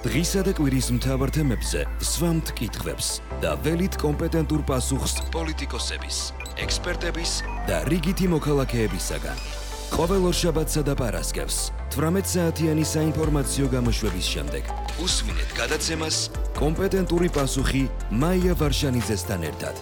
დღისა და კვირის მთავარ თემებზე ვსვამთ კითხვებს და ველით კომპეტენტურ პასუხს პოლიტიკოსების, ექსპერტების და რიგითი მოქალაქეებისაგან. ყოველ ორშაბათსა და პარასკევს 18 საათიანი საინფორმაციო გამოშვების შემდეგ უსმინეთ გადაცემას კომპეტენტური პასუხი მაია ვარშანიძესთან ერთად.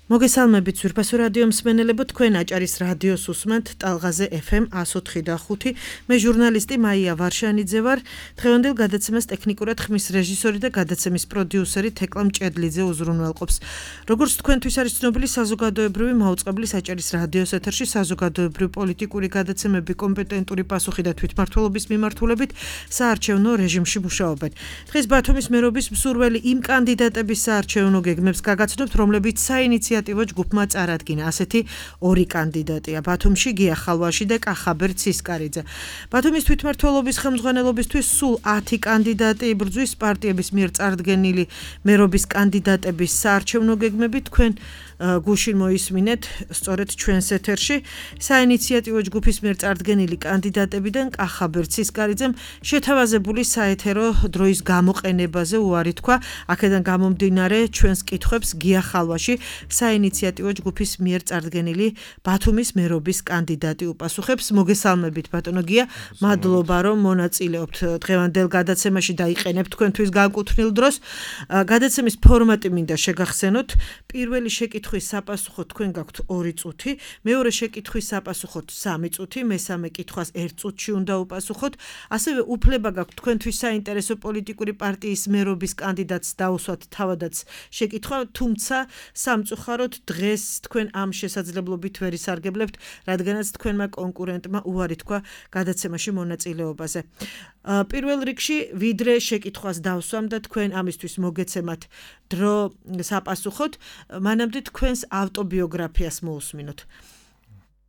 მოგესალმებით ძვირფასო რადიო მსმენელებო, თქვენ აჭარის რადიოს უსმენთ ტალღაზე FM 104.5. მე ჟურნალისტი მაია ვარშანიძე ვარ. დღევანდელ გადაცემას ტექნიკურად ხმის რეჟისორი და გადაცემის პროდიუსერი თეკლა მჭედლიძე უზრუნველყოფს. როგორც თქვენთვის არის ცნობილი, საზოგადოებრივი მაუწყებლის აჭარის რადიოს ეთერში საზოგადოებრივი პოლიტიკური გადაცემები კომპეტენტური პასუხი და თვითმმართველობის მიმართულებით საარჩევნო რეჟიმში მუშაობენ. დღეს ბათუმის მერობის მსურველი იმ კანდიდატების საარჩევნო გეგმებს გაგაცნობთ, რომლებიც საინიციატივო ჯგუფმა წარადგინა. ასეთი ორი კანდიდატია ბათუმში გია ხალვაში და კახაბერ ცისკარიძე. ბათუმის თვითმმართველობის ხელმძღვანელობისთვის სულ 10 კანდიდატი იბრძვის. პარტიების მიერ წარდგენილი მერობის კანდიდატების საარჩევნო გეგმები თქვენ გუშინ მოისმინეთ სწორედ ჩვენს ეთერში. საინიციატივო ჯგუფის მიერ წარდგენილი კანდიდატებიდან კახაბერ ცისკარიძემ შეთავაზებული საეთერო დროის გამოყენებაზე უარი თქვა. აქედან გამომდინარე ჩვენს კითხვებს გია ხალვაში საინიციატივო ჯგუფის მიერ წარდგენილი ბათუმის მერობის კანდიდატი უპასუხებს. მოგესალმებით ბატონო გია, მადლობა რომ მონაწილეობთ დღევანდელ გადაცემაში და იყენებთ თქვენთვის განკუთვნილ დროს. გადაცემის ფორმატი მინდა შეგახსენოთ. პირველი შეკითხვის საპასუხოდ თქვენ გაქვთ 2 წუთი, მეორე შეკითხვის საპასუხოდ 3 წუთი, მესამე კითხვას 1 წუთში უნდა უპასუხოთ. ასევე უფლება გაქვთ თქვენთვის საინტერესო პოლიტიკური პარტიის მერობის კანდიდატს დაუსვათ თავადაც შეკითხვა, თუმცა სამწუხაროდ დღეს თქვენ ამ შესაძლებლობით ვერ ისარგებლებთ, რადგანაც თქვენმა კონკურენტმა უარი თქვა გადაცემაში მონაწილეობაზე. პირველ რიგში ვიდრე შეკითხვას დავსვამ და თქვენ ამისთვის მოგეცემათ დრო საპასუხოდ, მანამდე თქვენს ავტობიოგრაფიას მოусმინოთ.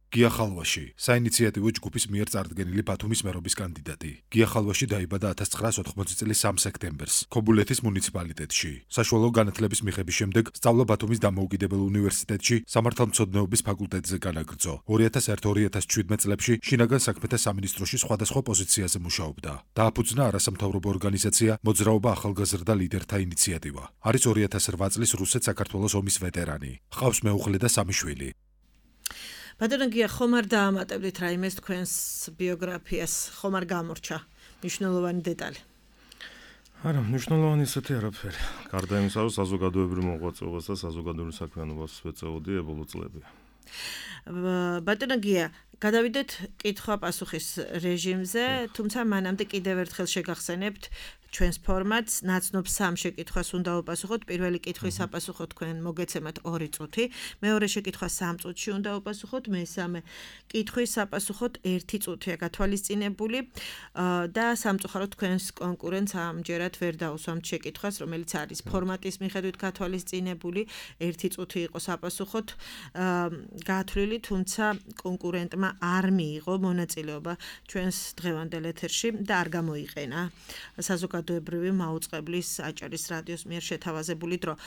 გია ხალვაში, საინიციატივო ჯგუფის მიერ წარდგენილი ბათუმის მერობის კანდიდატი. გია ხალვაში დაიბადა 1980 წლის 3 სექტემბერს ქობულეთის მუნიციპალიტეტში. საშუალო განათლების მიღების შემდეგ სწავლა ბათუმის დამოუკიდებელ უნივერსიტეტში სამართალმცოდნეობის ფაკულტეტზე განაგრძო. 2001-2017 წლებში შინაგან საქმეთა სამინისტროში სხვადასხვა პოზიციაზე მუშაობდა. დააფუძნა არასამთავრობო ორგანიზაცია მოძრაობა ახალგაზრდა ლიდერთა ინიციატივა. არის 2008 წლის რუსეთ-საქართველოს ომის ვეტერანი. ჰყავს მეუღლე და 3 შვილი. ბატონო გია, ხომ არ დაამატებდით რაიმეს თქვენს ბიოგრაფიას, ხომ არ გამორჩა მნიშვნელოვანი დეტალი? არა, მნიშვნელოვანი ისეთი არაფერი. გარდა იმისა, რომ საზოგადოებრივ მოღვაწეობას და საზოგადოებრივ საქმიანობას ვეწეოდი ბოლო წლები. ბატონო გია, გადავიდეთ კითხვა-პასუხის რეჟიმზე, თუმცა მანამდე კიდევ ერთხელ შეგახსენებთ ჩვენს ფორმატს, ნაცნობ 3 შეკითხვას უნდა უპასუხოთ. პირველი კითხვის საპასუხოდ თქვენ მოგეცემათ 2 წუთი, მეორე შეკითხვა 3 წუთში უნდა უპასუხოთ, მესამე კითხვის საპასუხოდ 1 წუთია გათვალისწინებული და სამწუხაროდ თქვენს კონკურენტს ამჯერად ვერ დაუსვამთ შეკითხვას, რომელიც არის ფორმატის მიხედვით გათვალისწინებული, 1 წუთი იყო საპასუხოდ გათვლილი, თუმცა კონკურენტმა არ მიიღო მონაწილეობა ჩვენს დღევანდელ ეთერში და არ გამოიყენა საზოგადოებრივი მაუწყებლის აჭარის რადიოს მიერ შეთავაზებული დრო.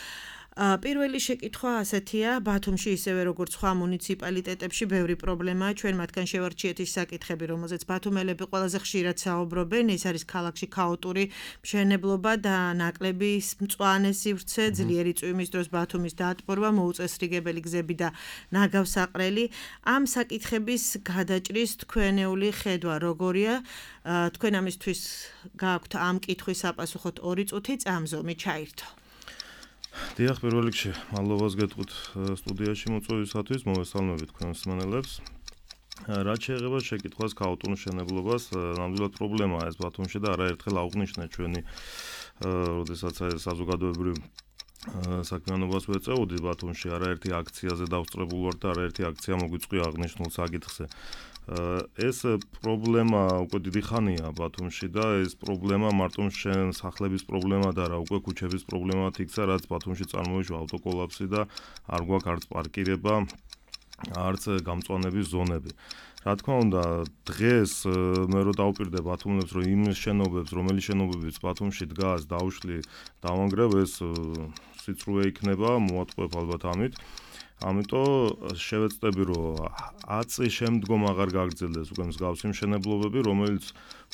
პირველი შეკითხვა ასეთია, ბათუმში ისევე როგორც სხვა მუნიციპალიტეტებში ბევრი პრობლემაა, ჩვენ მათგან შევარჩიეთ ის საკითხები, რომელზეც ბათუმელები ყველაზე ხშირად საუბრობენ, ეს არის ქალაქში ქაოტური მშენებლობა და ნაკლები მწვანე სივრცე, ძლიერი წვიმის დროს ბათუმის დაატბორვა, მოუწესრიგებელი გზები და ნაგავსაყრელი. ამ საკითხების გადაჭრის თქვენეული ხედვა როგორია? თქვენ ამისთვის გააქვთ ამ კითხვის საპასუხოდ 2 წუთი წამზომი ჩაირთო. დიახ, პირველ რიგში მადლობას გეტყვით სტუდიაში მოწვევისათვის, მოგესალმებით თქვენ მსმენელებს. რაც შეეხება შეკითხვას ქაოტურ მშენებლობას, ნამდვილად პრობლემაა ეს ბათუმში და არაერთხელ აღვნიშნეთ ჩვენი, როდესაც საზოგადოებრივ საქმიანობას ვეწეოდი ბათუმში, არაერთი აქციაზე დავსწრებულ ვარ და არაერთი აქცია მოგვიწვია აღნიშნულ საკითხზე. ეს პრობლემა უკვე დიდი ხანია ბათუმში და ეს პრობლემა მარტო სახლების პრობლემა და არა, უკვე ქუჩების პრობლემად იქცა, რაც ბათუმში წარმოიშვა ავტოკოლაფსი და არ გვაქვს არც პარკირება, არც გამწვანების ზონები. რა თქმა უნდა, დღეს მე რო დავუპირდე ბათუმელებს, რომ იმ შენობებს, რომელი შენობებიც ბათუმში დგას, დავშლი, დავანგრევ, ეს სიწრუე იქნება, მოატყუებ ალბათ ამით. ამიტომ შევეცდები რომ 10 წლის შემდგომ აღარ გაგრძელდეს უკვე მსგავსი მშენებლობები, რომელიც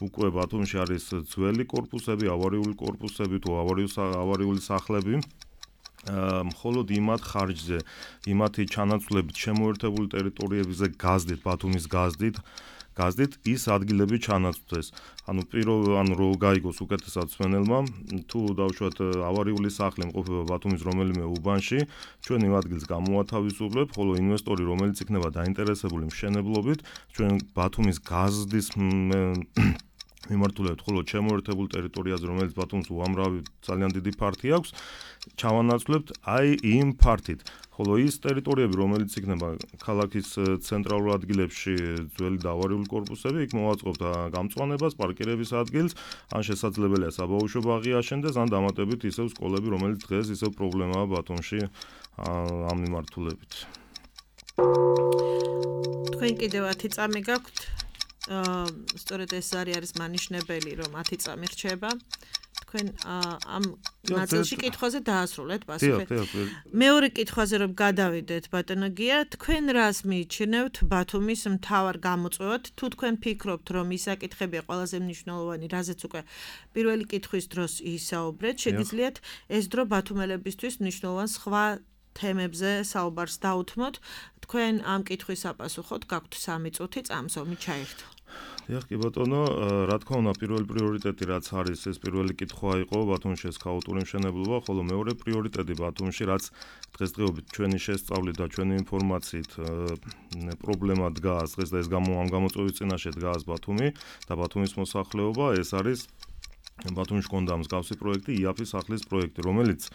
უკვე ბათუმში არის ძველი კორპუსები, ავარიული კორპუსები თუ ავარიული სახლები. მხოლოდ იმათ ხარჯზე, იმათი ჩანაცვლებით შემოერთებული ტერიტორიებზე გაზდით, ბათუმის გაზდით ის ადგილები ჩანაცვლდეს. ანუ რო გაიგოს უკეთესად მსმენელმა, თუ დავუშვათ ავარიული სახლი იმყოფება ბათუმის რომელიმე უბანში, ჩვენ იმ ადგილს გამოვათავისუფლებთ, ხოლო ინვესტორი, რომელიც იქნება დაინტერესებული მშენებლობით, ჩვენ ბათუმის გაზდის მიმართულებით, ხოლო შემოერთებულ ტერიტორიაზე, რომელიც ბათუმს უამრავი ძალიან დიდი ფართი აქვს, ჩავანაცვლებთ აი იმ ფართით. ხოლო ის ტერიტორიები, რომელიც იქნება ქალაქის ცენტრალურ ადგილებში ძველი და ავარიული კორპუსები, იქ მოვაწყობთ გამწვანებას, პარკირების ადგილს, ან შესაძლებელია საბავშვო ბაღი აშენდეს, ან დამატებით ისევ სკოლები, რომელიც დღეს ისევ პრობლემაა ბათუმში ამ მიმართულებით. თქვენ კიდევ 10 წამი გაქვთ. სწორედ ეს არის მანიშნებელი, რომ 10 წამი რჩება. თქვენ ამ ნაწილში კითხვაზე დაასრულეთ პასუხი. მეორე კითხვაზე რომ გადავიდეთ, ბატონო გია, თქვენ რას მიიჩნევთ ბათუმის მთავარ გამოწვევად? თუ თქვენ ფიქრობთ, რომ ის საკითხებია ყველაზე მნიშვნელოვანი, რაზეც უკვე პირველი კითხვის დროს ისაუბრეთ, შეგიძლიათ ეს დრო ბათუმელებისთვის მნიშვნელოვან სხვა თემებზე საუბარს დაუთმოთ. თქვენ ამ კითხვის საპასუხოდ გაქვთ 3 წუთი წამსვამი ჩაერთო. დიახ, კი ბატონო, რა თქმა უნდა, პირველი პრიორიტეტი რაც არის, ეს პირველი კითხვა იყო ბათუმში ეს ქაოტური მშენებლობა, ხოლო მეორე პრიორიტეტი ბათუმში, რაც დღესდღეობით ჩვენი შესწავლით და ჩვენი ინფორმაციით პრობლემა დგას, დღეს და ეს ამ გამოწვევის წინაშე დგას ბათუმი და ბათუმის მოსახლეობა, ეს არის ბათუმში კონდა მსგავსი პროექტი, იაფის სახლის პროექტი, რომელიც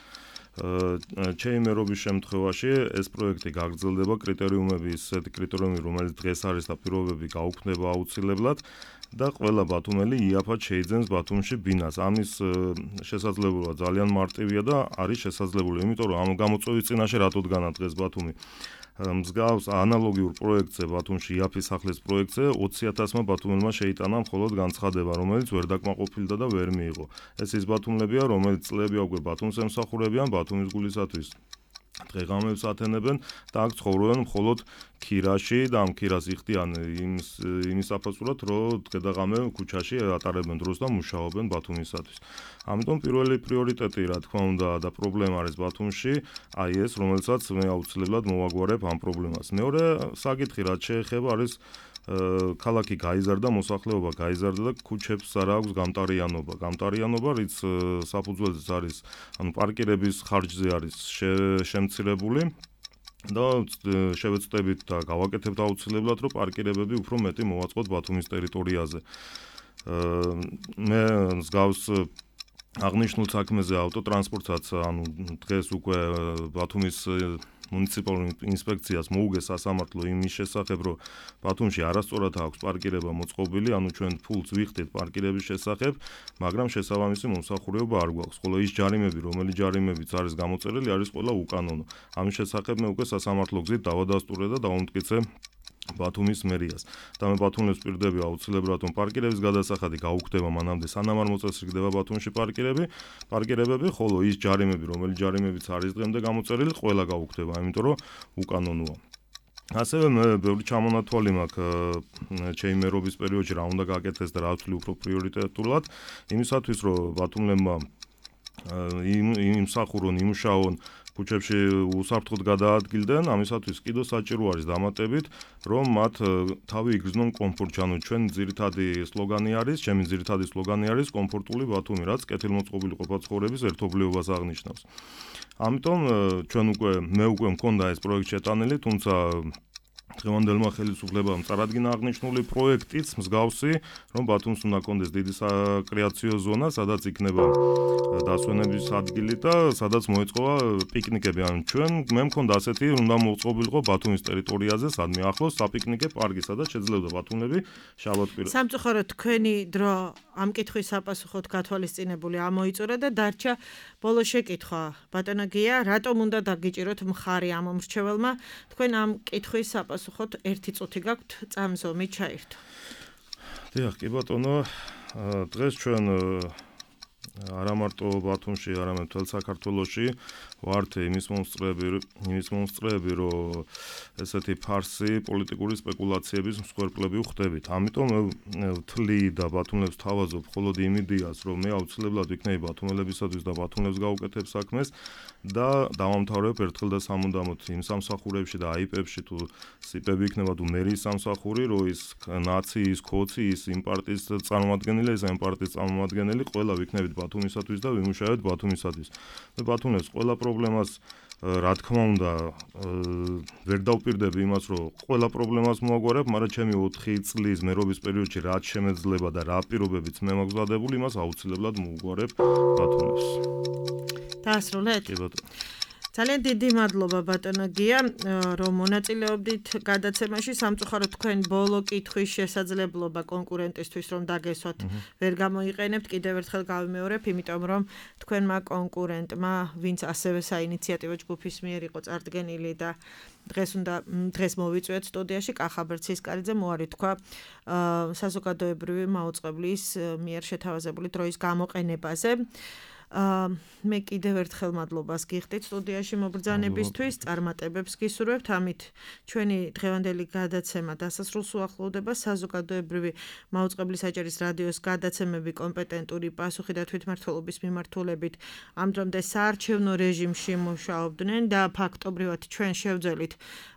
ჩემი მერობის შემთხვევაში ეს პროექტი გაგრძელდება, კრიტერიუმები ისეთი კრიტერიუმები, რომელიც დღეს არის და პირობები გაუქმდება აუცილებლად და ყველა ბათუმელი იაფად შეიძენს ბათუმში ბინას. ამის შესაძლებლობა ძალიან მარტივია და არის შესაძლებელი, იმიტომ რომ ამ გამოწვევის წინაშე რატო დგანა დღეს ბათუმი. მსგავს ანალოგიურ პროექტზე ბათუმში იაფის სახლის პროექტზე 20,000-მა ბათუმელმა შეიტანა მხოლოდ განცხადება, რომელიც ვერ დაკმაყოფილდა და ვერ მიიღო. ეს ის ბათუმლებია, რომელიც წლები უკვე ბათუმს ემსახურებიან ბათუმის გულისათვის. დღე-ღამეებს ათენებენ და აქ ცხოვრობენ მხოლოდ ქირაში და ამ ქირას იხდიან იმის საფასურად, რომ დღე-ღამე ქუჩაში ატარებენ დროს და მუშაობენ ბათუმისათვის. ამიტომ პირველი პრიორიტეტი, რა თქმა უნდა, და პრობლემა არის ბათუმში, აი ეს, რომელსაც მე აუცილებლად მოვაგვარებ ამ პრობლემას. მეორე საკითხი, რაც შეეხება, არის ქალაქი გაიზარდა, მოსახლეობა გაიზარდა და ქუჩებს არა აქვს გამტარიანობა, რიც საფუძველზეც არის, ანუ პარკირების ხარჯზე არის შემცირებული და შევეცდებით და გავაკეთებთ აუცილებლად, რომ პარკირებები უფრო მეტი მოვაწყოთ ბათუმის ტერიტორიაზე. მე მსგავს აღნიშნულ საქმეზე ავტოტრანსპორტსაც, ანუ დღეს უკვე ბათუმის მუნიციპალურ ინსპექციას მოუგეს სასამართლო იმის შესახებ, რომ ბათუმში არასწორად აქვს პარკირება მოწყობილი, ანუ ჩვენ ფულს ვიხდით პარკირების შესახებ, მაგრამ შესაბამისი მომსახურება არ გვაქვს. ხოლო ის ჯარიმები, რომელი ჯარიმებიც არის გამოწერილი, არის ყველა უკანონო. ამის შესახებ მე უკვე სასამართლო გზით დავადასტურე და დავუმტკიცე ბათუმის მერიას. და მე ბათუმელს ვპირდები აუცილებლად, რომ პარკირების გადასახადი გაუქმდება მანამდე, სანამ არ მოწესრიგდება ბათუმში პარკირებები, ხოლო ის ჯარიმები, რომელი ჯარიმებიც არის დღემდე გამოწერილი, ყველა გაუქმდება, იმიტომ რომ უკანონოა. ასევე მე ბევრი ჩამონათვალი მაქვს ჩემი მერობის პერიოდში რა უნდა გაკეთდეს და რა ვთვლი უფრო პრიორიტეტულად, იმისათვის რომ ბათუმელებმა იმსახურონ, იმუშაონ ქუჩებში უსაფრთხოდ გადაადგილდნენ, ამისათვის კიდევ საჭირო არის დამატებით, რომ მათ თავი იგრძნონ კომფორტში. ანუ ჩემი ძირითადი სლოგანი არის კომფორტული ბათუმი, რაც კეთილმოწყობილი ყოფა-ცხოვრების ერთობლიობას აღნიშნავს. ამიტომ მე უკვე მქონდა ეს პროექტი შეტანილი, თუმცა დღევანდელმა ხელისუფლებამ წარადგინა აღნიშნული პროექტიც მსგავსი, რომ ბათუმს უნდა კონდეს დიდი საკრეაციო ზონა, სადაც იქნება დასვენების ადგილი და სადაც მოეწყობა პიკნიკები. ანუ მე მქონდა ასეთი, უნდა მოწყობილიყო ბათუმის ტერიტორიაზე, სადმე ახლოს საპიკნიკე პარკი, სადაც შეძლებდა ბათუმელები შაბათ-კვირას. სამწუხაროდ თქვენი დრო ამ კითხვის საპასუხოდ გათვალისწინებული ამოიწურა და დარჩა ბოლო შეკითხვა. ბატონო გია, რატომ უნდა დაგიჭიროთ მხარი ამ მომრჩეველმა? თქვენ ამ კითხვის საპასუხოდ 1 წუთი გაქვთ, წამსვამი ჩაერთო. დიახ, კი ბატონო, დღეს ჩვენ არა მარტო ბათუმში, არამედ მთელ საქართველოში ვართ იმის მომსწრეები, რომ ესეთი ფარსი პოლიტიკური სპეკულაციების მსხვერპლები ვხდებით. ამიტომ ვთვლი და ბათუმელებს თავაზობ მხოლოდ იმ იდეას, რომ მე აუცილებლად ვიქნები ბათუმელებისათვის და ბათუმელებს გავუკეთებ საქმეს და დავამთავრებ ერთხელ და სამუდამოდ იმ სამსახურებში და აიპებში თუ სიპები იქნება თუ მერიის სამსახური, რომ ის ნაცი, ის ქოცი, ის იმ პარტიის წარმომადგენელი, ეს ამ პარტიის წარმომადგენელი ყველა ვიქნებით ბათუმისათვის და ვიმუშავებთ ბათუმისათვის. მე ბათუმელებს ყველა პრობლემას რა თქმა უნდა ვერ დავპირდები იმას, რომ ყველა პრობლემას მოაგვარებ, მაგრამ ჩემი 4 წლის მერობის პერიოდში რაც შემეძლება და რა პირობებიც მე მაქვს დადებული, იმას აუცილებლად მოვგვარებ ბათუმელებს. დაასრულეთ? კი ბატონო. ძალიან დიდი მადლობა ბატონო გია, რომ მონაწილეობდით გადაცემაში. სამწუხაროდ თქვენ ბოლო კითხვის შესაძლებლობა კონკურენტისთვის რომ დაგესვათ ვერ გამოიყენებთ. კიდევ ერთხელ გავიმეორებ, იმიტომ რომ თქვენმა კონკურენტმა, ვინც ასევე საინიციატივო ჯგუფის მიერ იყო წარდგენილი და დღეს მოვიწვიეთ სტუდიაში, კახა ბერცისკარიძე მოარი თქვა საზოგადოებრივი მაუწყებლის მიერ შეთავაზებული დროის გამოყენებაზე. მე კიდევ ერთხელ მადლობას გიხდით სტუდიაში მობრძანებისთვის, წარმატებებს გისურვებთ. ამით ჩვენი დღევანდელი გადაცემა დასასრულს უახლოვდება. საზოგადოებრივი მაუწყებლის აჭარის რადიოს გადაცემები კომპეტენტური პასუხი და თვითმმართველობის მიმართულებით ამ დრომდე საარჩევნო რეჟიმში მუშაობდნენ და ფაქტობრივად ჩვენ შევძელით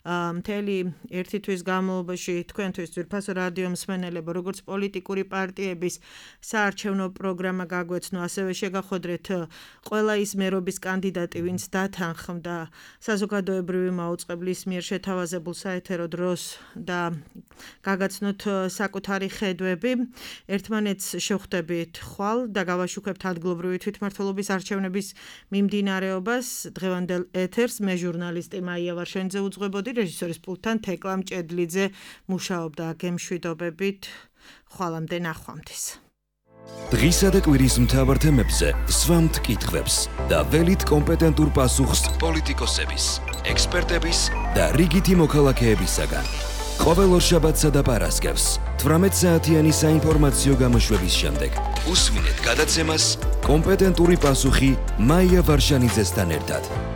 მთელი ერთი თვის განმავლობაში თქვენთვის ძვირფასო რადიო მსმენელებო, როგორც პოლიტიკური პარტიების საარჩევნო პროგრამა გაგვეცნო, ასევე შეგახვედრეთ ყველა ის მერობის კანდიდატი, ვინც დათანხმდა საზოგადოებრივი მაუწყებლის მიერ შეთავაზებულ საეთერო დროს და გაგაცნოთ საკუთარი ხედვები. ერთმანეთს შევხვდებით ხვალ და გავაშუქებთ ადგილობრივი თვითმმართველობის არჩევნების მიმდინარეობას. დღევანდელ ეთერს მე ჟურნალისტი მაია ვარშენიძე უძღვებოდი, რეჟისორის პულტთან თეკლა მჭედლიძე მუშაობდა. გემშვიდობებით, ხვალამდე ნახვამდის. დღისა და კვირის მთავარ თემებზე სვამთ კითხვებს და ველით კომპეტენტურ პასუხს პოლიტიკოსების, ექსპერტების და რიგითი მოქალაქეებისაგან. ყოველ ორშაბათსა და პარასკევს 18 საათიანი საინფორმაციო გამოშვების შემდეგ უსმინეთ გადაცემას კომპეტენტური პასუხი მაია ვარშანიძესთან ერთად.